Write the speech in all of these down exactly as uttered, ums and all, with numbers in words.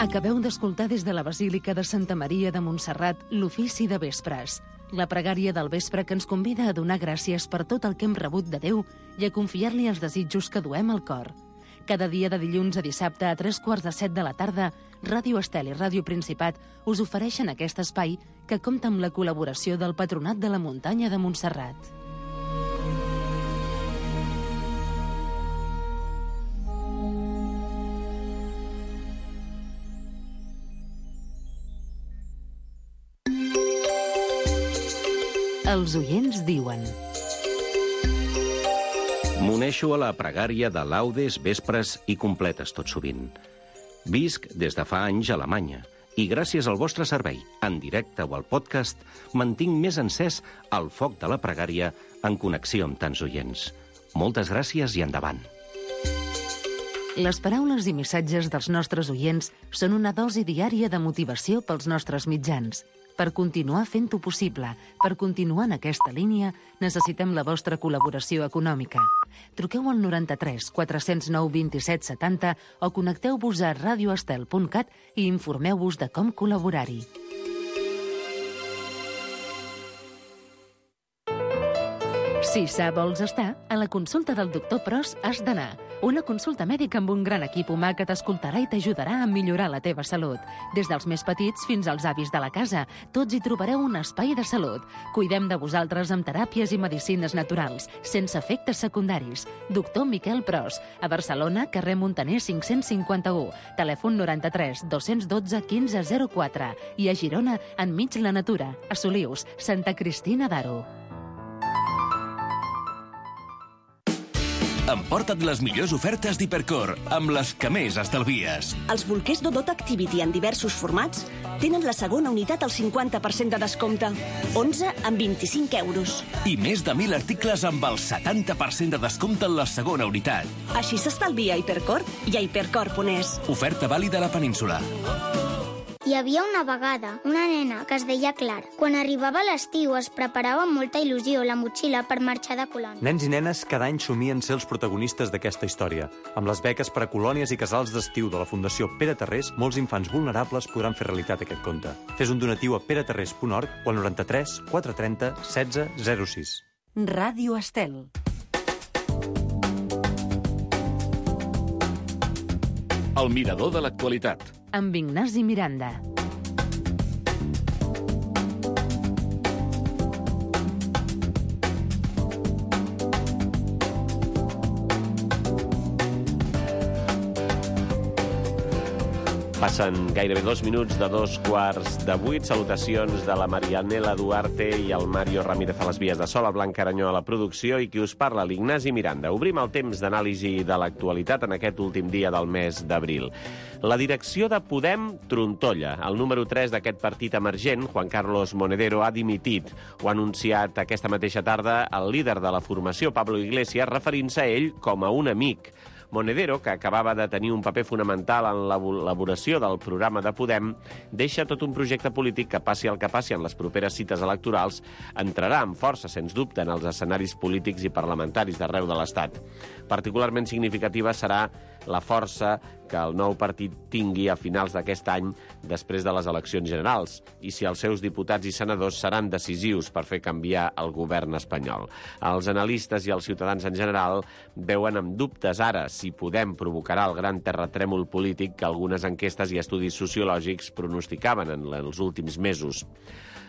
Acabeu d'escoltar des de la Basílica de Santa Maria de Montserrat l'ofici de vespres, la pregària del vespre que ens convida a donar gràcies per tot el que hem rebut de Déu i a confiar-li els desitjos que duem al cor. Cada dia de dilluns a dissabte a tres quarts de set de la tarda, Ràdio Estel i Ràdio Principat us ofereixen aquest espai que compta amb la col·laboració del Patronat de la Muntanya de Montserrat. Els oients diuen... M'uneixo a la pregària de laudes, vespres i completes tot sovint. Visc des de fa anys a Alemanya i gràcies al vostre servei, en directe o al podcast, mantinc més encès el foc de la pregària en connexió amb tants oients. Moltes gràcies i endavant. Les paraules i missatges dels nostres oients són una dosi diària de motivació pels nostres mitjans. Per continuar fent-ho possible, per continuar en aquesta línia, necessitem la vostra col·laboració econòmica. Truqueu al noranta-tres quatre zero nou vint set setanta o connecteu-vos a radioestel punt cat i informeu-vos de com col·laborar-hi. Si sa vols estar, a la consulta del doctor Pros has d'anar. Una consulta mèdica amb un gran equip humà que t'escoltarà i t'ajudarà a millorar la teva salut. Des dels més petits fins als avis de la casa, tots hi trobareu un espai de salut. Cuidem de vosaltres amb teràpies i medicines naturals, sense efectes secundaris. Doctor Miquel Pros, a Barcelona, carrer Montaner cinc-cents cinquanta-u, telèfon noranta-tres dos dotze quinze zero quatre i a Girona, enmig la natura, a Solius, Santa Cristina d'Aro. Emporta't les millors ofertes d'Hipercor, amb les que més estalvies. Els bolquers Dodot Activity en diversos formats tenen la segona unitat al cinquanta per cent de descompte. onze amb vint-i-cinc euros. I més de mil articles amb el setanta per cent de descompte en la segona unitat. Així s'estalvia a Hipercor i a hipercor punt es. Oferta vàlida a la península. Hi havia una vegada una nena que es deia Clara. Quan arribava l'estiu es preparava amb molta il·lusió la motxilla per marxar de colònia. Nens i nenes cada any somien ser els protagonistes d'aquesta història. Amb les beques per a colònies i casals d'estiu de la Fundació Pere Tarrés, molts infants vulnerables podran fer realitat aquest conte. Fes un donatiu a pere tarrés punt org o al noranta-tres quatre trenta setze zero sis. Ràdio Estel. El mirador de l'actualitat. Amb Ignasi Miranda. Passen gairebé dos minuts de dos quarts de vuit. Salutacions de la Marianela Duarte i el Mario Ramírez a les vies de so, la Blanca Aranyó a la producció i qui us parla, l'Ignasi Miranda. Obrim el temps d'anàlisi de l'actualitat en aquest últim dia del mes d'abril. La direcció de Podem trontolla. El número tres d'aquest partit emergent, Juan Carlos Monedero, ha dimitit. Ho ha anunciat aquesta mateixa tarda el líder de la formació, Pablo Iglesias, referint-se a ell com a un amic. Monedero, que acabava de tenir un paper fonamental en l'elaboració del programa de Podem, deixa tot un projecte polític que, passi el que passi en les properes cites electorals, entrarà amb força, sens dubte, en els escenaris polítics i parlamentaris d'arreu de l'Estat. Particularment significativa serà la força que el nou partit tingui a finals d'aquest any després de les eleccions generals i si els seus diputats i senadors seran decisius per fer canviar el govern espanyol. Els analistes i els ciutadans en general veuen amb dubtes ara si Podem provocarà el gran terratrèmol polític que algunes enquestes i estudis sociològics pronosticaven en els últims mesos.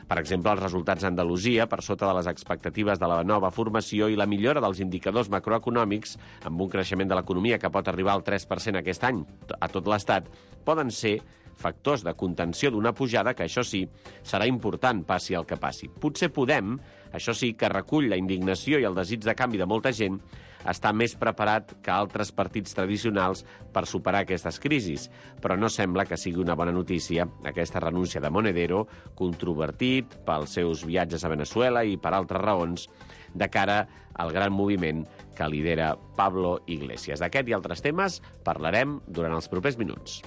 Per exemple, els resultats a Andalusia, per sota de les expectatives de la nova formació i la millora dels indicadors macroeconòmics, amb un creixement de l'economia que pot arribar al tres per cent aquest any a tot l'Estat, poden ser factors de contenció d'una pujada que, això sí, serà important, passi el que passi. Potser Podem, això sí, que recull la indignació i el desig de canvi de molta gent, està més preparat que altres partits tradicionals per superar aquestes crisis, però no sembla que sigui una bona notícia aquesta renúncia de Monedero, controvertit pels seus viatges a Venezuela i per altres raons, de cara al gran moviment que lidera Pablo Iglesias. D'aquest i altres temes parlarem durant els propers minuts.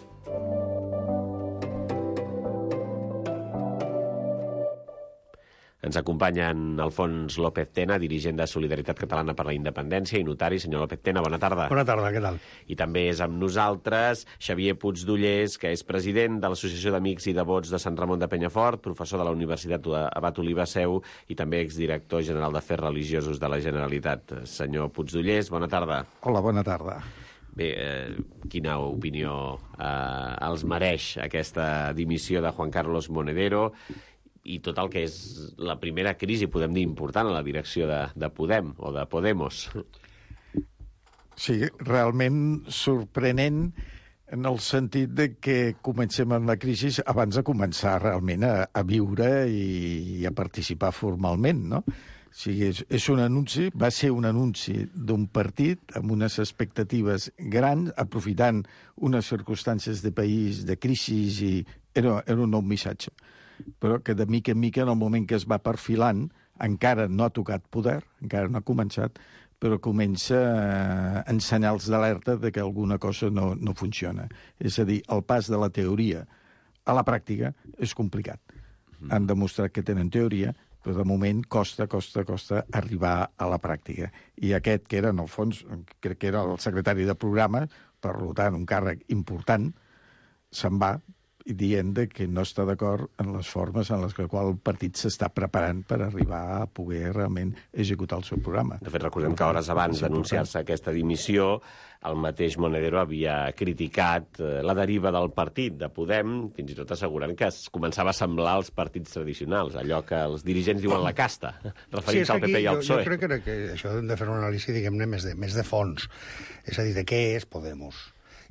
Ens acompanyen Alfons López Tena, dirigent de Solidaritat Catalana per la Independència i notari. Senyor López Tena, bona tarda. Bona tarda, què tal? I també és amb nosaltres Xavier Puigdollers, que és president de l'Associació d'Amics i Devots de Sant Ramon de Penyafort, professor de la Universitat Abat Oliva Seu i també exdirector general d'Afers Religiosos de la Generalitat. Senyor Puigdollers, bona tarda. Hola, bona tarda. Bé, eh, quina opinió eh, els mereix aquesta dimissió de Juan Carlos Monedero i tot el que és la primera crisi, podem dir, important a la direcció de, de Podem o de Podemos? Sí, realment sorprenent en el sentit de que comencem amb la crisi abans de començar realment a, a viure i, i a participar formalment, no? O sigui, és, és un anunci, va ser un anunci d'un partit amb unes expectatives grans, aprofitant unes circumstàncies de país, de crisi, i era, era un nou missatge. Però que de mica en mica, en el moment que es va perfilant, encara no ha tocat poder, encara no ha començat, però comença a ensenyar els d'alerta de que alguna cosa no, no funciona. És a dir, el pas de la teoria a la pràctica és complicat. Han demostrat que tenen teoria, però de moment costa, costa, costa arribar a la pràctica. I aquest, que era, en el fons, crec que era el secretari de programa, per tant, un càrrec important, se'n va dient que no està d'acord en les formes en les que el partit s'està preparant per arribar a poder realment executar el seu programa. De fet, recordem que hores abans d'anunciar-se aquesta dimissió, el mateix Monedero havia criticat la deriva del partit de Podem, fins i tot assegurant que es començava a semblar als partits tradicionals, allò que els dirigents diuen la casta, referint-se al P P i al P S O E. Jo, jo crec que això hem de fer una anàlisi, diguem-ne, més de, més de fons. És a dir, de què és Podemos?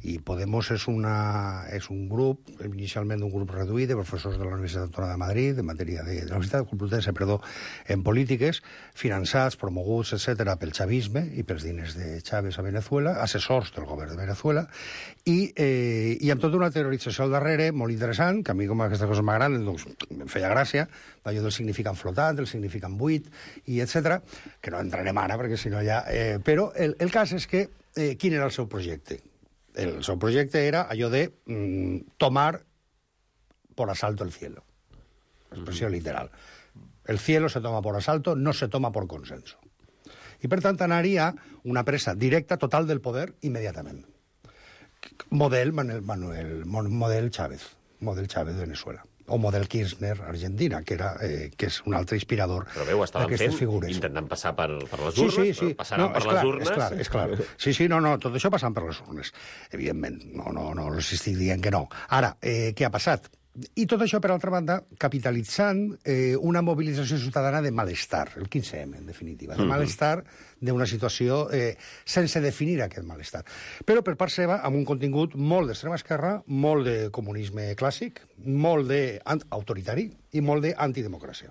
I Podemos és, una, és un grup, inicialment un grup reduït de professors de la Universitat Autònoma de Madrid, en matèria de, de la Universitat Complutense, perdó, en polítiques, finançats, promoguts, etcètera, pel xavisme i pels diners de Chávez a Venezuela, assessors del govern de Venezuela, i, eh, i amb tota una teorització al darrere molt interessant, que a mi com aquestes coses m'agraden, doncs em feia gràcia, allò del significant flotant, del significant buit, i etcètera, que no entrarem ara, perquè si no ja... Eh, però el, el cas és que, eh, quin era el seu projecte? El seu projecte era allò de mm, tomar por asalto el cielo. Expressió literal. El cielo se toma por asalto, no se toma por consenso. I, per tant, anaria una presa directa total del poder immediatament. Model Manuel, Manuel model Chávez, model Chávez de Venezuela. O model Kirchner, Argentina, que, era, eh, que és un altre inspirador d'aquestes figures. Intentant passar per, per les Sí, urnes, sí, sí. passaran no, per clar, les urnes... És clar, és clar. Sí, sí, no, no, tot això passant per les urnes. Evidentment, no, no, no els estic dient que no. Ara, eh, què ha passat? I tot això, per altra banda, capitalitzant eh, una mobilització ciutadana de malestar, el quinze eme, en definitiva, de malestar d'una situació eh, sense definir aquest malestar. Però per part seva, amb un contingut molt d'extrema esquerra, molt de comunisme clàssic, molt d'autoritari i molt d'antidemocràcia.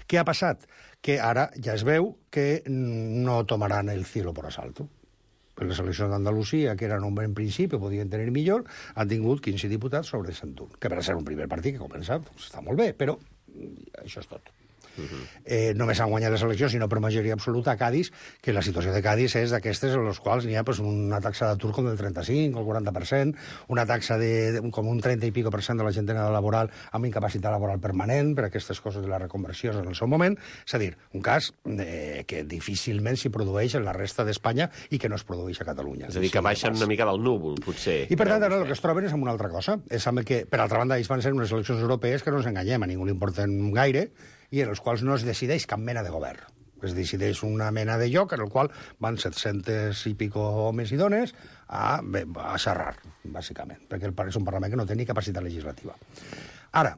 Què ha passat? Que ara ja es veu que no tomaran el cielo por asalto. Les eleccions d'Andalusia, que eren un bon principi, podien tenir millor, han tingut quinze diputats sobre cent un, que per ser un primer partit que comença, doncs està molt bé, però això és tot. Uh-huh. eh, només han guanyat les eleccions, sinó per majoria absoluta, a Cádiz, que la situació de Cádiz és d'aquestes en les quals n'hi ha pues, una taxa d'atur com del trenta-cinc o el quaranta per cent, una taxa de, de com un trenta i pico per cent de la gent en edad laboral amb incapacitat laboral permanent per aquestes coses de la reconversió en el seu moment. És a dir, un cas eh, que difícilment s'hi produeix en la resta d'Espanya i que no es produeix a Catalunya. És a dir, que baixen una mica del núvol, potser. I per tant, ara el que es troben és amb una altra cosa. És amb el que, per altra banda, ells van ser unes eleccions europees que no ens enganyem, a ningú li importen gaire, i en els quals no es decideix cap mena de govern. Es decideix una mena de lloc en el qual van set-cents i pico homes i dones a, a xerrar, bàsicament, perquè és un Parlament que no té ni capacitat legislativa. Ara,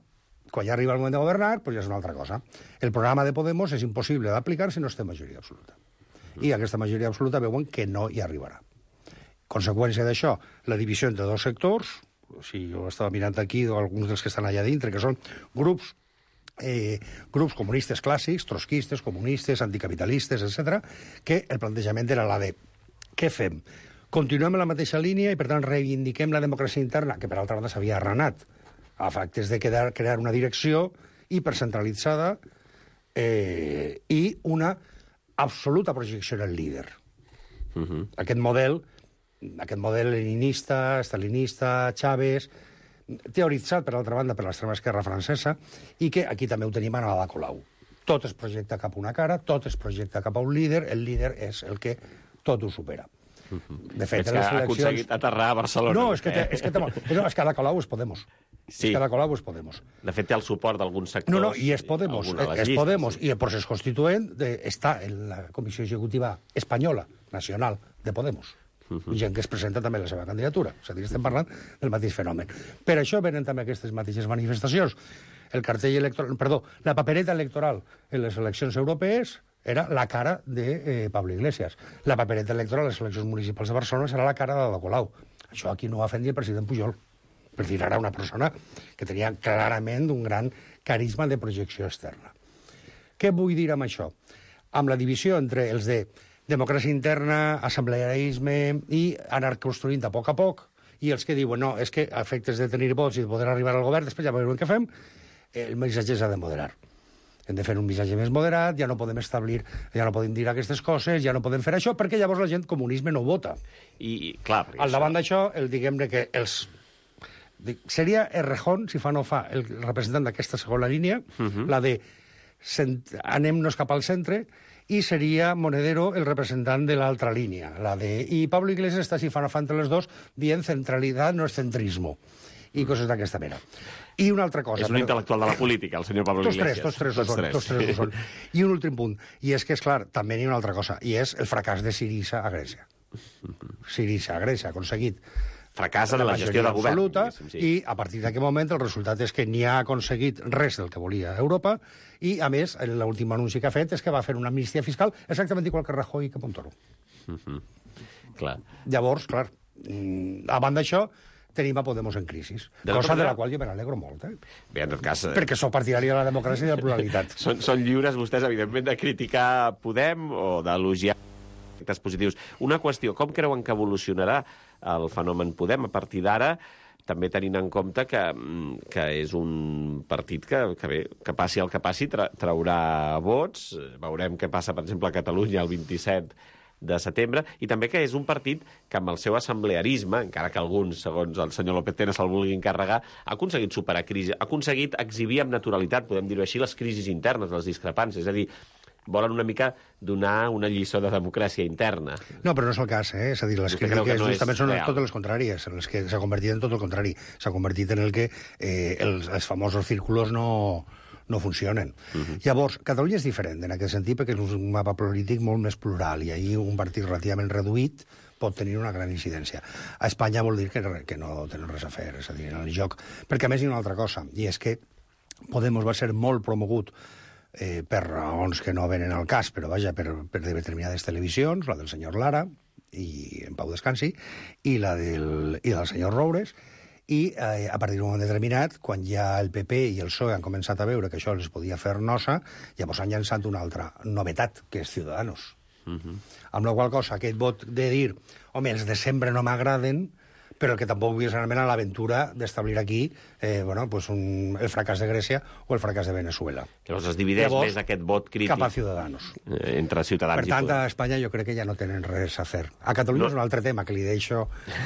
quan ja arriba el moment de governar, doncs ja és una altra cosa. El programa de Podemos és impossible d'aplicar si no es té majoria absoluta. I aquesta majoria absoluta veuen que no hi arribarà. Conseqüència d'això, la divisió entre dos sectors, si jo estava mirant aquí alguns dels que estan allà dintre, que són grups Eh, grups comunistes clàssics, trotskistes, comunistes, anticapitalistes, etcètera, que el plantejament era la de què fem? Continuem en la mateixa línia i, per tant, reivindiquem la democràcia interna, que, per altra banda, s'havia arranat a efectes de quedar, crear una direcció hipercentralitzada eh, i una absoluta projecció en el líder. Uh-huh. Aquest model, aquest model leninista, stalinista, Chávez, teoritzat, per altra banda, per l'extrema esquerra francesa, i que aquí també ho tenim a Ada Colau. Tot es projecta cap a una cara, tot es projecta cap a un líder, el líder és el que tot ho supera. De fet, és que ha aconseguit aterrar a Barcelona. No, és que, té, és que, té, no, és que Ada Colau és Podemos. Sí. És que Ada Colau és Podemos. De fet, té el suport d'alguns sectors. No, no, i és Podemos. És Podemos. I el procés constituent està en la Comissió Executiva Espanyola, nacional, de Podemos. Uh-huh. Gent que es presenta també la seva candidatura. És a dir, estem parlant del mateix fenomen. Per això venen també aquestes mateixes manifestacions. El cartell electoral, perdó, la papereta electoral en les eleccions europees era la cara de eh, Pablo Iglesias. La papereta electoral a les eleccions municipals de Barcelona serà la cara d'Ada Colau. Això aquí no va fer ni el president Pujol. Per dir, era una persona que tenia clarament un gran carisma de projecció externa. Què vull dir amb això? Amb la divisió entre els de democràcia interna, assemblearisme i anar construint a poc a poc, i els que diuen, no, és que a efectes de tenir vots i de poder arribar al govern, després ja veurem què fem, el missatge s'ha de moderar. Hem de fer un missatge més moderat, ja no podem establir, ja no podem dir aquestes coses, ja no podem fer això, perquè llavors la gent comunisme no vota. I, clar, al davant d'això, el diguem-ne que els... Seria Errejón, si fa no fa, el representant d'aquesta segona línia, uh-huh. la de cent... anem-nos cap al centre, i seria Monedero el representant de l'altra línia, la de... I Pablo Iglesias està, si fa no fa entre les dos, dient centralitat no és centrismo, i coses d'aquesta mena. I una altra cosa... És un però... intel·lectual de la política, el senyor Pablo tots Iglesias. Tres, tots tres, tots, tres. Tots tres ho són. I un últim punt, i és que, és clar, també hi ha una altra cosa, i és el fracàs de Syriza a Grècia. Syriza a Grècia ha aconseguit fracàs en la, la gestió de govern. Absoluta, sí. I a partir d'aquest moment el resultat és que ni ha aconseguit res del que volia Europa, i a més, l'últim anunci que ha fet és que va fer una amnistia fiscal exactament igual que Rajoy i que Montoro. Uh-huh. Clar. Llavors, clar, a banda d'això, tenim a Podemos en crisi, de cosa de la qual jo me n'alegro molt. Eh? Bé, en tot cas... Eh... Perquè sóc partidari de la democràcia i de la pluralitat. són, són lliures vostès, evidentment, de criticar Podem o d'elogiar efectes positius. Una qüestió, com creuen que evolucionarà el fenomen Podem a partir d'ara, també tenint en compte que, que és un partit que, que, bé, que passi el que passi, tra traurà vots. Veurem què passa, per exemple, a Catalunya el vint-i-set de setembre, i també que és un partit que amb el seu assemblearisme, encara que alguns, segons el senyor López Tena, se'l vulguin carregar, ha aconseguit superar crisi, ha aconseguit exhibir amb naturalitat, podem dir-ho així, les crisis internes, les discrepàncies, és a dir, volen una mica donar una lliçó de democràcia interna. No, però no és el cas, eh? És a dir, les crítiques no justament són real. Totes les contràries, en les que s'ha convertit en tot el contrari. S'ha convertit en el que eh, els, els famosos círculos no... no funcionen. Uh-huh. Llavors, Catalunya és diferent en aquest sentit perquè és un mapa polític molt més plural i ahir un partit relativament reduït pot tenir una gran incidència. A Espanya vol dir que, que no tenen res a fer, és a dir, en el joc. Perquè a més hi ha una altra cosa, i és que Podemos va ser molt promogut eh, per raons que no venen al cas, però vaja, per, per determinades televisions, la del senyor Lara, i en Pau Descansi, i la del, i del senyor Roures, i eh, a partir d'un moment determinat, quan ja el P P i el P S O E han començat a veure que això els podia fer nosa, llavors han llançat una altra novetat, que és Ciudadanos. Uh-huh. Amb la qual cosa, aquest vot de dir, home, els de sempre no m'agraden, però el que tampoc vull és anar a l'aventura d'establir aquí eh, bueno, pues un, el fracàs de Grècia o el fracàs de Venezuela. Llavors es divideix llavors, més aquest vot crític cap a Ciudadanos. Eh, entre Ciutadans per tant, i a Espanya jo crec que ja no tenen res a fer. A Catalunya no. És un altre tema que li deixo...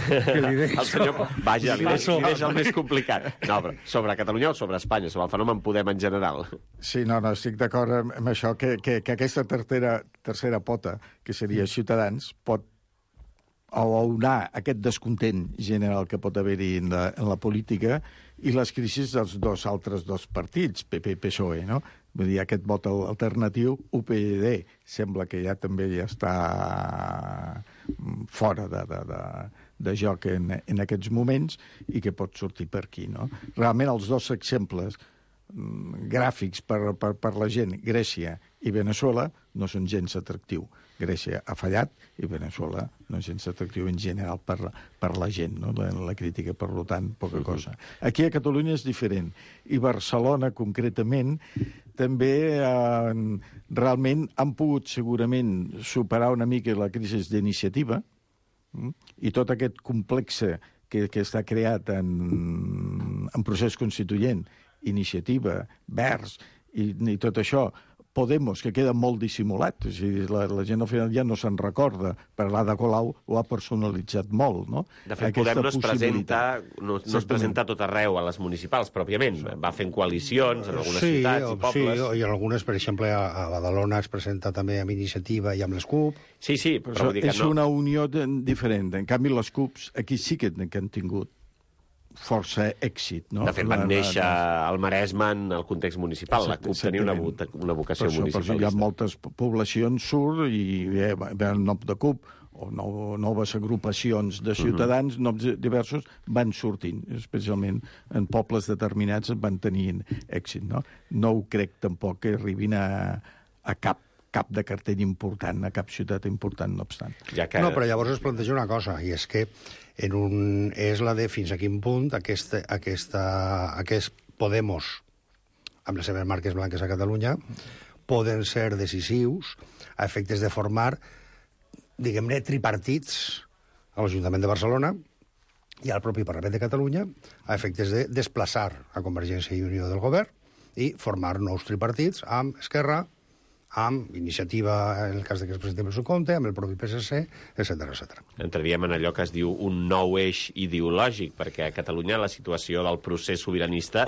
Que li deixo... el senyor... Vaja, li deixo, li deixo el més complicat. No, però sobre Catalunya o sobre Espanya? Sobre el fenomen Podem en general? Sí, no, no, estic d'acord amb, amb això, que, que, que aquesta tercera, tercera pota, que seria Ciutadans, pot o unar aquest descontent general que pot haver-hi en, la, en la política i les crisis dels dos altres dos partits, P P i P S O E, no? Vull dir, aquest vot alternatiu, U P y D, sembla que ja també ja està fora de, de, de, de joc en, en aquests moments i que pot sortir per aquí, no? Realment els dos exemples gràfics per, per, per la gent, Grècia i Venezuela, no són gens atractiu. Grècia ha fallat i Venezuela no és gens atractiu en general per, per la gent, no? la, la crítica, per tant, poca uh-huh. cosa. Aquí a Catalunya és diferent. I Barcelona, concretament, també eh, realment han pogut segurament superar una mica la crisi d'iniciativa mm? i tot aquest complex que, que està creat en, en procés constituent, iniciativa, verds i, i tot això, Podemos, que queda molt dissimulat, és a dir, la, la gent al final ja no se'n recorda, però l'Ada Colau ho ha personalitzat molt, no? De fet, Podem no es presenta, no, no es presenta tot arreu a les municipals, pròpiament. Va fent coalicions en algunes sí, ciutats i pobles. Sí, i en algunes, per exemple, a, a Badalona es presenta també amb Iniciativa i amb les CUP. Sí, sí, però, però vull dir que és no. una unió de, diferent. En canvi, les CUPs aquí sí que, que han tingut força èxit, no? De fet, van néixer al Maresme en el context municipal. La CUP tenia una, una vocació per això, municipalista. Per això hi ha moltes poblacions surt i ve, ve el nom de CUP o no, noves agrupacions de ciutadans, uh-huh. noms diversos, van sortint, especialment en pobles determinats van tenint èxit, no? No ho crec tampoc que arribin a, a cap cap de cartell important, a cap ciutat important, no obstant. Ja que... No, però llavors es planteja una cosa, i és que en un, és la de fins a quin punt aquesta, aquesta, aquest Podemos, amb les seves marques blanques a Catalunya, poden ser decisius a efectes de formar, diguem-ne, tripartits a l'Ajuntament de Barcelona i al propi Parlament de Catalunya a efectes de desplaçar a Convergència i Unió del govern i formar nous tripartits amb Esquerra, amb Iniciativa, en el cas de que es presenti el seu compte, amb el propi P S C, etcètera, etcètera. Entraríem en allò que es diu un nou eix ideològic, perquè a Catalunya la situació del procés sobiranista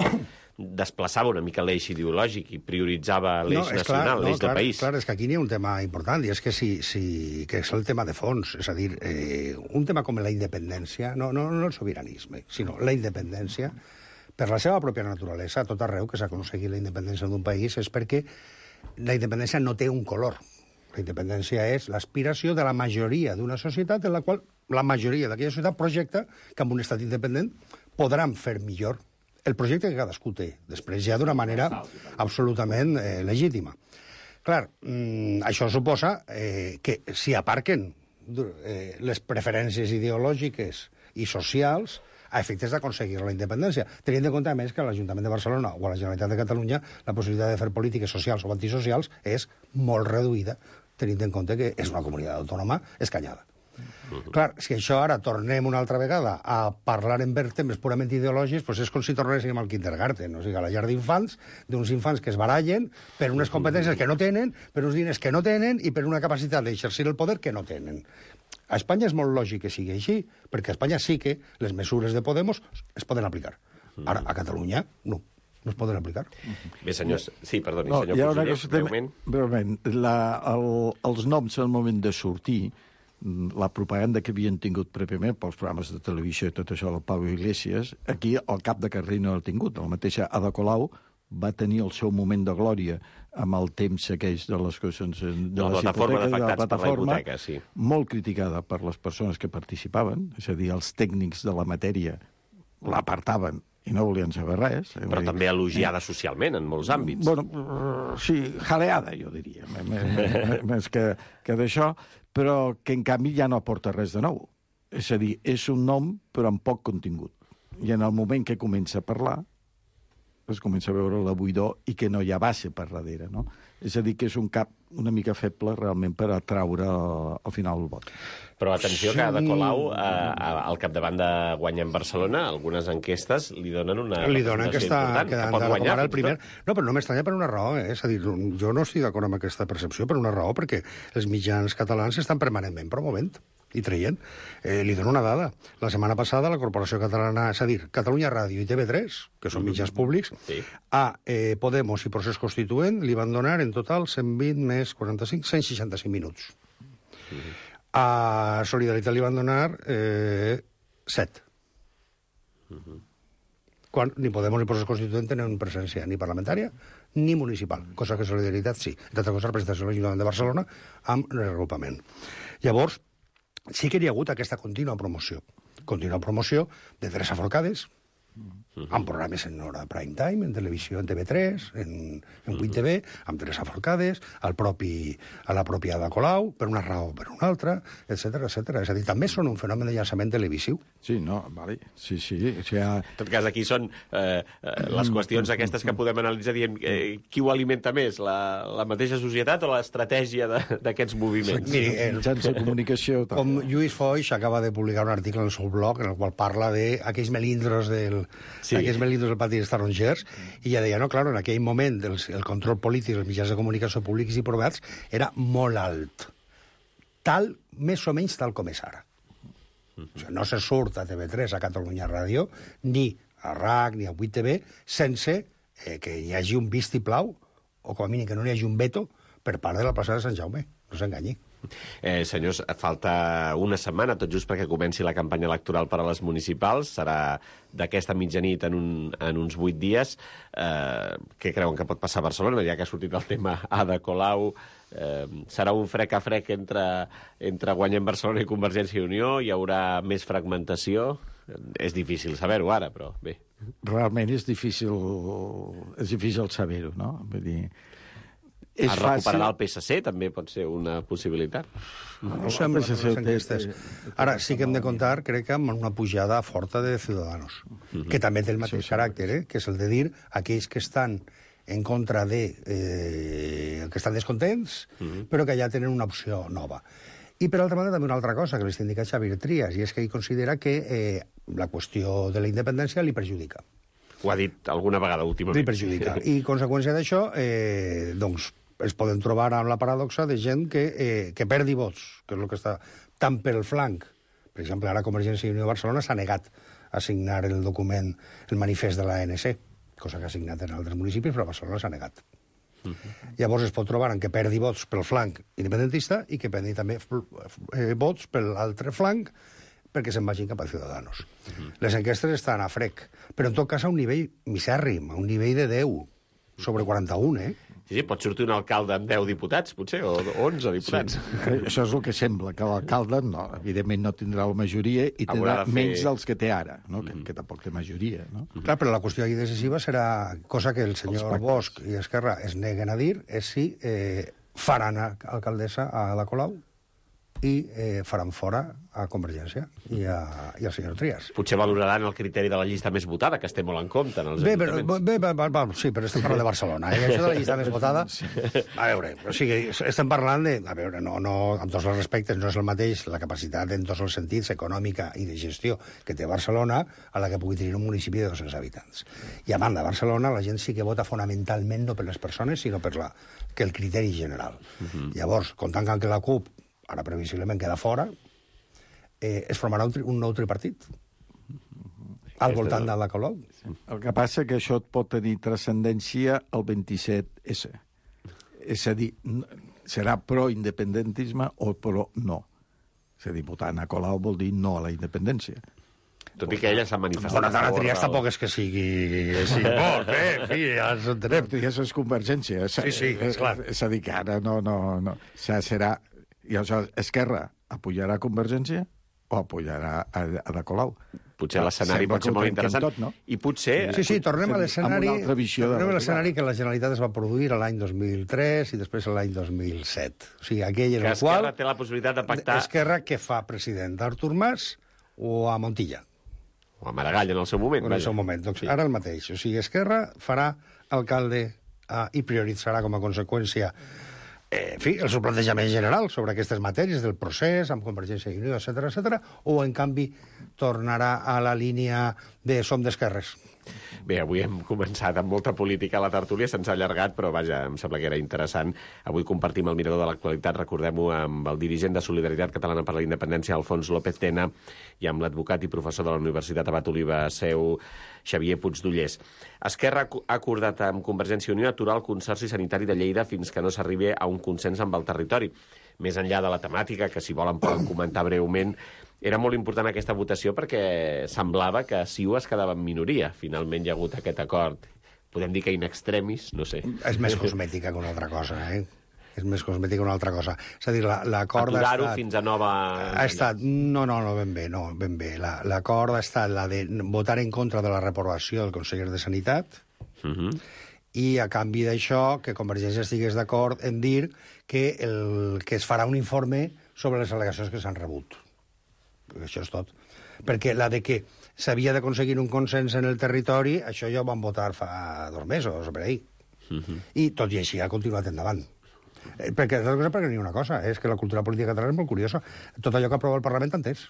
desplaçava una mica l'eix ideològic i prioritzava l'eix no, nacional, clar, l'eix no, del clar, país. Clar, és que aquí n'hi ha un tema important, i és que, si, si, que és el tema de fons. És a dir, eh, un tema com la independència, no, no, no el sobiranisme, sinó la independència, per la seva pròpia naturalesa, a tot arreu que s'aconseguit la independència d'un país, és perquè la independència no té un color. La independència és l'aspiració de la majoria d'una societat en la qual la majoria d'aquella societat projecta que amb un estat independent podran fer millor el projecte que cadascú té, després ja d'una manera absolutament eh, legítima. Clar, mm, això suposa eh, que si aparquen eh, les preferències ideològiques i socials a efectes d'aconseguir la independència, tenint en compte, a més, que a l'Ajuntament de Barcelona o a la Generalitat de Catalunya la possibilitat de fer polítiques socials o antisocials és molt reduïda, tenint en compte que és una comunitat autònoma escanyada. Uh-huh. Clar, si això ara tornem una altra vegada a parlar en temes purament ideològics, doncs és com si tornéssim al kindergarten, o sigui, a la llar d'infants, d'uns infants que es barallen per unes competències que no tenen, per uns diners que no tenen i per una capacitat d'exercir el poder que no tenen. A Espanya és molt lògic que sigui així, perquè a Espanya sí que les mesures de Podemos es poden aplicar. Ara, a Catalunya, no. No es poden aplicar. Bé, senyors... Sí, perdoni, no, senyor conseller, breument. Breument. La, el, els noms al moment de sortir, la propaganda que havien tingut prèviament pels programes de televisió i tot això del Pau Iglesias, aquí el cap de carrer no l'ha tingut. La mateixa Ada Colau va tenir el seu moment de glòria amb el temps aquells de les qüestions de la les plataforma hipoteques, de la plataforma, hipoteca, sí. Molt criticada per les persones que participaven, és a dir, els tècnics de la matèria l'apartaven i no volien saber res. Però dir, també elogiada eh? socialment en molts àmbits. Bueno, sí, jaleada, jo diria, més que, que d'això, però que en canvi ja no aporta res de nou. És a dir, és un nom però amb poc contingut. I en el moment que comença a parlar es comença a veure la buidor i que no hi ha base per darrere, no? És a dir, que és un cap una mica feble realment per atraure al final el vot. Però atenció que Ada Colau, eh, al capdavant de guanyar en Barcelona, algunes enquestes li donen una li donen que està important, que pot guanyar el primer. No, però no m'estranya per una raó, eh? És a dir, jo no estic d'acord amb aquesta percepció per una raó, perquè els mitjans catalans estan permanentment promovent i traient. Eh, li dono una dada. La setmana passada la Corporació Catalana, és a dir, Catalunya Ràdio i T V tres, que són mitjans públics, sí. a eh, Podemos i Procés Constituent li van donar en total cent vint més quaranta-cinc, cent seixanta-cinc minuts. Uh-huh. A Solidaritat li van donar eh, set. Uh-huh. Quan ni Podemos ni Procés Constituent tenen presència ni parlamentària ni municipal, cosa que Solidaritat sí. D'altra cosa, representació de l'Ajuntament de Barcelona amb reagrupament. Llavors, sí que hi ha hagut aquesta contínua promoció. Contínua promoció de Teresa Forcades, uh-huh. amb programes en hora de prime time, en televisió, en T V tres, en, en vuit T V, amb Teresa Forcades, al propi, a la pròpia Ada Colau, per una raó o per una altra, etcètera, etcètera. És a dir, també són un fenomen de llançament televisiu. Sí, no, vale. Sí, sí. O sigui, en tot cas, aquí són eh, les qüestions aquestes que podem analitzar dient eh, qui ho alimenta més, la, la mateixa societat o l'estratègia d'aquests moviments? Miri, el, mitjans de comunicació... Com Lluís Foix acaba de publicar un article en el seu blog en el qual parla d'aquells melindros del sí. d'aquells melindros del pati dels tarongers, i ja deia, no, clar, en aquell moment el, el control polític dels mitjans de comunicació públics i privats era molt alt. Tal, més o menys tal com és ara. O sigui, no se surt a T V tres, a Catalunya Ràdio, ni a R A C, ni a vuit T V, sense eh, que hi hagi un vistiplau, o com a mínim que no hi hagi un veto, per part de la plaça de Sant Jaume. No s'enganyi. Eh, senyors, falta una setmana, tot just perquè comenci la campanya electoral per a les municipals. Serà d'aquesta mitjanit en, un, en uns vuit dies. Eh, què creuen que pot passar a Barcelona? Ja que ha sortit el tema Ada Colau, eh, serà un frec a frec entre, entre Guanyem Barcelona i Convergència i Unió? Hi haurà més fragmentació? És difícil saber-ho ara, però bé. Realment és difícil, és difícil saber-ho, no? Vull dir, es recuperarà el P S C, també pot ser una possibilitat. No, no sembla que les enquestes. Ara sí que hem de comptar, crec que amb una pujada forta de Ciudadanos, uh-huh. que també té el mateix sí, caràcter, eh? que és el de dir aquells que estan en contra de... Eh, que estan descontents, uh-huh. però que ja tenen una opció nova. I, per altra banda, també una altra cosa que li està indicant Xavier Trias, i és que ell considera que eh, la qüestió de la independència li perjudica. Ho ha dit alguna vegada últimament. Li perjudica. I, conseqüència d'això, eh, doncs, es poden trobar amb la paradoxa de gent que, eh, que perdi vots, que és el que està tant pel flanc. Per exemple, ara Convergència i Unió de Barcelona s'ha negat a signar el document, el manifest de l'A N C, cosa que ha signat en altres municipis, però a Barcelona s'ha negat. Uh-huh. Llavors es pot trobar en què perdi vots pel flanc independentista i que perdi també eh, vots per l'altre flanc perquè se'n vagin cap a Ciudadanos. Uh-huh. Les enquestes estan a frec, però en tot cas a un nivell misèrrim, a un nivell de deu sobre quaranta-un, eh? Sí, sí, pot sortir un alcalde amb deu diputats, potser, o onze diputats. Sí. Això és el que sembla, que l'alcalde, no, evidentment, no tindrà la majoria i tindrà fer... menys dels que té ara, no? Mm-hmm. que, que tampoc té majoria. No? Mm-hmm. Clar, però la qüestió aquí decisiva serà, cosa que el senyor Bosch i Esquerra es neguen a dir, és si eh, faran alcaldessa a Ada Colau i eh, faran fora a Convergència i, a, i al senyor Trias. Potser valoraran el criteri de la llista més votada, que es té molt en compte en els bé, ajuntaments. Bé, bé, bé, bé, sí, però estem parlant de Barcelona. Eh? Això de la llista més votada... Sí. A veure, o sigui, estem parlant de... A veure, no, no, amb tots els respectes, no és el mateix la capacitat en tots els sentits, econòmica i de gestió, que té Barcelona, a la que pugui tenir un municipi de dos-cents habitants. I a banda, a Barcelona la gent sí que vota fonamentalment no per les persones, sinó per la, que el criteri general. Uh-huh. Llavors, comptant que la CUP ara previsiblement queda fora, eh, es formarà un, tri un nou tripartit al voltant de la Colau. El que passa que això pot tenir transcendència al vint-i-set essa. És a dir, serà pro-independentisme o pro-no. És a dir, votar a Colau vol dir no a la independència. Tot i que ella s'ha manifestat... Bona tarda, Trias tampoc és que sigui... sigui molt, eh? En fi, ja ens entenem. Trias és Convergència. Sí, sí, és clar. És a dir, que ara no... no, no. O sigui, serà... I aleshores, Esquerra apoyarà Convergència o apoyarà a, a Ada Colau? Potser l'escenari pot ser molt interessant. Tot, no? I potser... Sí, sí, tornem a l'escenari tornem a l'escenari de... que la Generalitat es va produir l'any dos mil tres i després l'any dos mil set. O sigui, aquell en el qual... qual... té la possibilitat de pactar... Esquerra que fa president d'Artur Mas o a Montilla. O a Maragall en el seu moment. En el seu moment. Doncs sí. Ara el mateix. O sigui, Esquerra farà alcalde uh, i prioritzarà com a conseqüència Eh, en fi, el seu plantejament general sobre aquestes matèries del procés, amb Convergència i Unió, etcètera, etcètera, o, en canvi, tornarà a la línia de som d'esquerres. Bé, avui hem començat amb molta política a la tertúlia, se'ns ha allargat, però vaja, em sembla que era interessant. Avui compartim el mirador de l'actualitat, recordem-ho, amb el dirigent de Solidaritat Catalana per la Independència, Alfons López Tena, i amb l'advocat i professor de la Universitat Abat Oliva Seu, Xavier Puigdollers. Esquerra ha acordat amb Convergència i Unió aturar el Consorci Sanitari de Lleida fins que no s'arribi a un consens amb el territori. Més enllà de la temàtica, que si volen poden comentar breument, era molt important aquesta votació perquè semblava que C I U es quedava en minoria. Finalment hi ha hagut aquest acord. Podem dir que in extremis, no sé. És més cosmètica que una altra cosa, eh? És més cosmètica que una altra cosa. És a dir, l'acord ha estat... Aturar-ho fins a nova... Ha estat... No, no, no, ben bé, no, ben bé. L'acord ha estat la de votar en contra de la reprovació del conseller de Sanitat, uh-huh. i a canvi d'això que Convergència estigués d'acord en dir que, el, que es farà un informe sobre les al·legacions que s'han rebut. Això és tot. Perquè la de que s'havia d'aconseguir un consens en el territori, això ja ho van votar fa dos mesos, per ahir. Uh-huh. I tot i així ha continuat endavant. Eh, perquè, perquè n'hi ha una cosa, és que la cultura política catalana és molt curiosa. Tot allò que aprova el Parlament entès.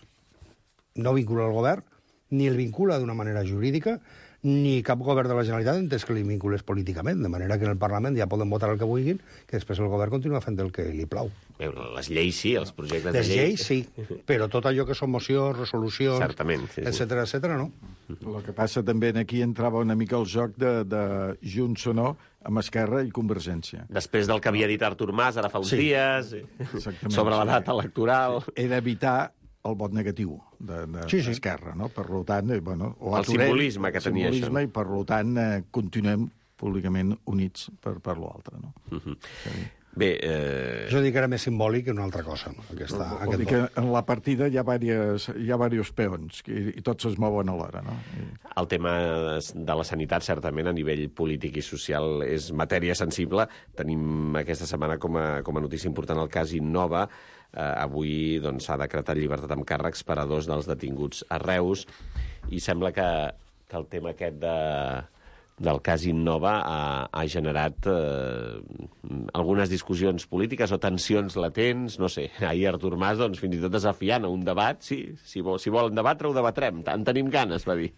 No vincula el govern ni el vincula d'una manera jurídica, ni cap govern de la Generalitat entès que li vinculés políticament, de manera que en el Parlament ja poden votar el que vulguin, que després el govern continua fent el que li plau. Bé, les lleis sí, els projectes de Les llei... lleis sí, però tot allò que són mocions, resolucions, Certament, sí, sí. etcètera, etcètera, no. El que passa també aquí entrava una mica el joc de, de Junts o no amb Esquerra i Convergència. Després del que havia dit Artur Mas ara fa uns Sí. dies, Exactament, sobre la sí. data electoral... Era evitar el vot negatiu d'Esquerra, de, Sí, sí. no? Per tant, eh, bueno, o El aturem simbolisme que tenia això, simbolisme, no? I per tant eh, continuem públicament units per, per l'altre, no? Uh-huh. Bé, eh... Jo dic que era més simbòlic que una altra cosa, aquesta, Vol aquest dir vot. que en la partida hi ha diversos, hi ha diversos peons i, i tots es mouen alhora, no? I... El tema de la sanitat, certament, a nivell polític i social, és matèria sensible. Tenim aquesta setmana com a, com a notícia important el cas Innova. Eh, avui doncs, s'ha decretat llibertat amb càrrecs per a dos dels detinguts a Reus i sembla que, que el tema aquest de, del cas Innova ha, ha generat eh, algunes discussions polítiques o tensions latents, no sé. Ahir Artur Mas, doncs, fins i tot desafiant a un debat. Sí, si, vol, si volen debatre, ho debatrem. En tenim ganes, va dir.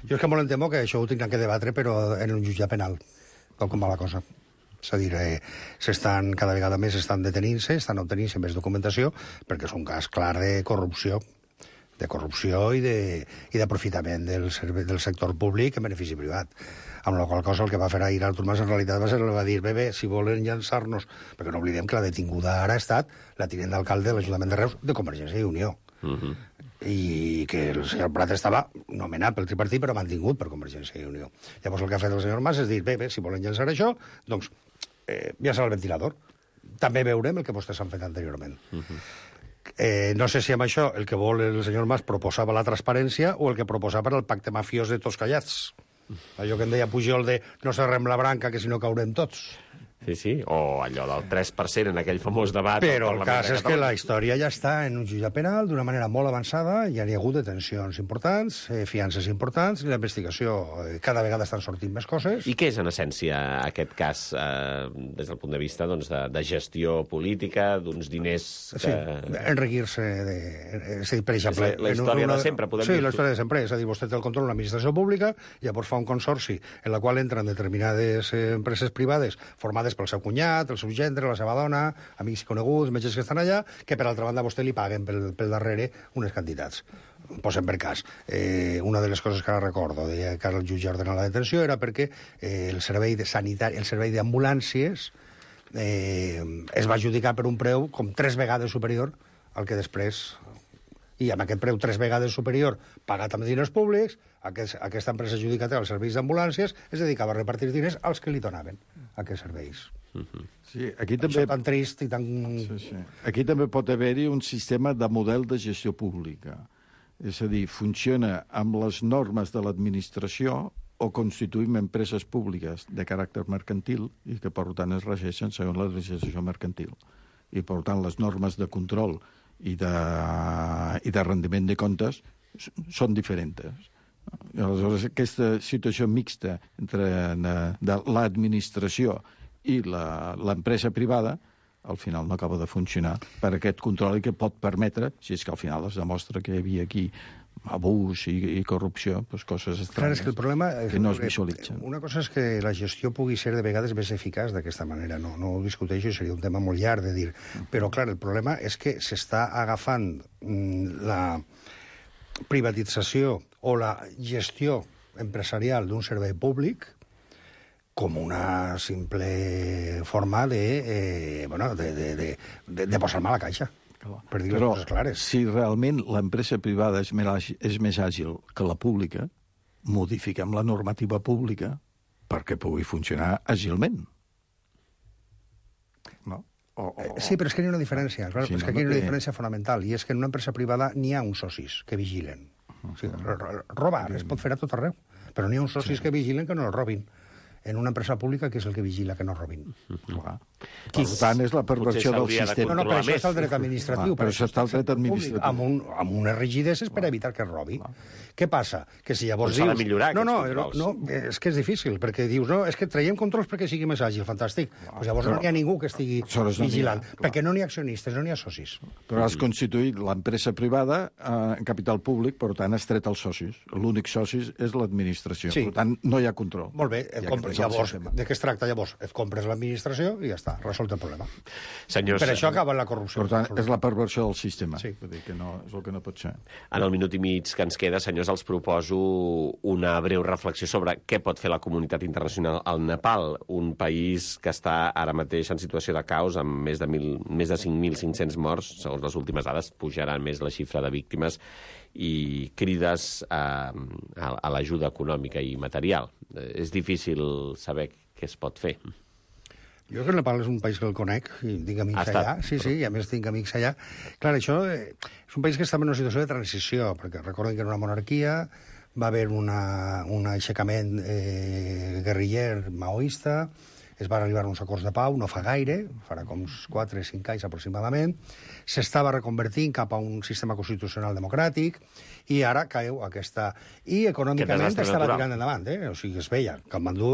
Jo és que molt em temo que això ho tindran que debatre, però en un jutjat penal, tal com va la cosa. És a dir, eh, s'estan, cada vegada més estan detenint-se, estan obtenint-se més documentació, perquè és un cas clar de corrupció, de corrupció i de- i d'aprofitament del, serve- del sector públic en benefici privat. Amb la qual cosa el que va fer ahir Artur Mas en realitat va ser el va dir, bé, bé, si volen llançar-nos, perquè no oblidem que la detinguda ara ha estat la tinent d'alcalde de l'Ajuntament de Reus de Convergència i Unió. Uh-huh. I que el senyor Prat estava nomenat pel tripartit però mantingut per Convergència i Unió. Llavors el que ha fet el senyor Mas és dir, bé, bé, si volen llançar això, doncs eh, ja serà el ventilador. També veurem el que vostès han fet anteriorment. Uh-huh. Eh, no sé si amb això el que vol el senyor Mas proposava la transparència o el que proposava el pacte mafiós de tots callats. Allò que en deia Pujol de no serrem la branca que si no caurem tots. Sí, sí, o allò del tres per cent en aquell famós debat... Però al el Parlament cas de és que la Catalunya. història ja està en un jutjat penal d'una manera molt avançada, ja hi ha hagut detencions importants, eh, fiances importants, i la investigació eh, cada vegada estan sortint més coses. I què és, en essència, aquest cas, eh, des del punt de vista doncs, de, de gestió política, d'uns diners que... Sí, enriquir-se... De... És a dir, per exemple... És la- la en història una- de sempre, podem sí, dir. Sí, la història de sempre. És a dir, vostè té el control de l'administració pública, llavors fa un consorci en la qual entren determinades eh, empreses privades formades pel seu cunyat, el seu gendre, la seva dona, amics i coneguts, metges que estan allà, que per altra banda vostè li paguen pel, pel darrere unes quantitats. Posem per cas. Eh, una de les coses que ara recordo, deia que ara el jutge ordena la detenció, era perquè eh, el servei de sanitari, el servei d'ambulàncies eh, es va adjudicar per un preu com tres vegades superior al que després... I amb aquest preu tres vegades superior, pagat amb diners públics, aquest, aquesta empresa adjudicatària als serveis d'ambulàncies es dedicava a repartir diners als que li donaven aquests serveis. Uh-huh. Sí, aquí També... també... Això tan trist i tan... Sí, sí. Aquí també pot haver-hi un sistema de model de gestió pública. És a dir, funciona amb les normes de l'administració o constituïm empreses públiques de caràcter mercantil i que, per tant, es regeixen segons la legislació mercantil. I, per tant, les normes de control i de, i de rendiment de comptes són diferents. I aleshores, aquesta situació mixta entre de, de l'administració i l'empresa privada al final no acaba de funcionar per aquest control i que pot permetre, si és que al final es demostra que hi havia aquí abús i, i corrupció, doncs coses estranyes. Clar, és que el problema és que no es visualitzen. Una cosa és que la gestió pugui ser de vegades més eficaç d'aquesta manera, no, no ho discuteixo, seria un tema molt llarg de dir. Però, clar, el problema és que s'està agafant mm, la privatització o la gestió empresarial d'un servei públic com una simple forma de, eh, bueno, de, de, de, de, de posar mal a la caixa. Per dir les Però coses clares. si realment l'empresa privada és més, àgil, és més àgil que la pública, modifiquem la normativa pública perquè pugui funcionar àgilment. No? O, o, Eh, Sí, però és que hi ha una diferència. Clar, Sí, és no, que aquí hi ha una perquè- diferència fonamental, i és que en una empresa privada n'hi ha uns socis que vigilen. O sigui, ro- ro- robar es pot fer a tot arreu, però n'hi ha uns socis que vigilen que no el robin. en una empresa pública que és el que vigila que no robin. Clar. Per tant, és la perversió del sistema. No, no, per això està el dret administratiu. Per això està el dret administratiu. Amb, un, amb unes rigideses per evitar que es robi. Què passa? Que si llavors dius... S'ha de millorar no, no, aquests no, no, és que és difícil, perquè dius, no, és que traiem controls perquè sigui més àgil, fantàstic. Pues llavors no hi ha ningú que estigui vigilant, perquè no n'hi ha accionistes, no n'hi ha socis. Però has constituït l'empresa privada en capital públic, per tant, has tret els socis. L'únic soci és l'administració. Per tant, no hi ha control. Molt bé, llavors, de què es tracta llavors? Et compres l'administració i ja està, resolt el problema. Senyors, per això acaba la corrupció. Per tant, és la perversió del sistema. Sí. Vull dir que no, és el que no pot ser. En el minut i mig que ens queda, senyors, els proposo una breu reflexió sobre què pot fer la comunitat internacional al Nepal, un país que està ara mateix en situació de caos, amb més de, mil, més de cinc mil cinc-cents morts, segons les últimes dades, pujarà més la xifra de víctimes, i crides a, a, a l'ajuda econòmica i material. És difícil saber què es pot fer. Jo que el Nepal és un país que el conec, i tinc amics allà, sí, sí, i a més tinc amics allà. Clar, això és un país que està en una situació de transició, perquè recorden que era una monarquia, va haver una, un aixecament eh, guerriller maoista, es van arribar a uns acords de pau, no fa gaire, farà com uns quatre o cinc anys aproximadament, s'estava reconvertint cap a un sistema constitucional democràtic, i ara cau aquesta... I econòmicament estava tirant endavant, eh? O sigui, es veia. Katmandú,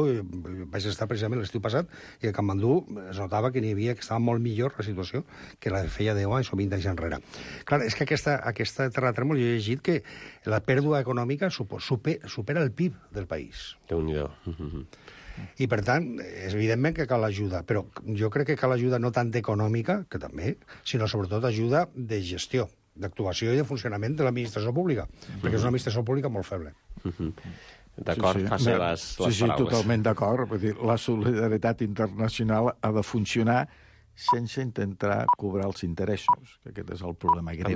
vaig estar precisament l'estiu passat, i a Katmandú es notava que n'hi havia, que estava molt millor la situació que la feia deu anys o vint anys enrere. Clar, és que aquesta, aquesta terratrèmol, jo he llegit que la pèrdua econòmica supera, supera el P I B del país. Déu-n'hi-do. I, per tant, és evidentment que cal ajuda, però jo crec que cal ajuda no tant econòmica, que també, sinó sobretot ajuda de gestió, d'actuació i de funcionament de l'administració pública, mm-hmm. perquè és una administració pública molt feble. Mm-hmm. D'acord, sí, sí. Faci les, les sí, paraules. Sí, totalment d'acord. Vull dir, la solidaritat internacional ha de funcionar sense intentar cobrar els interessos, que aquest és el problema greu.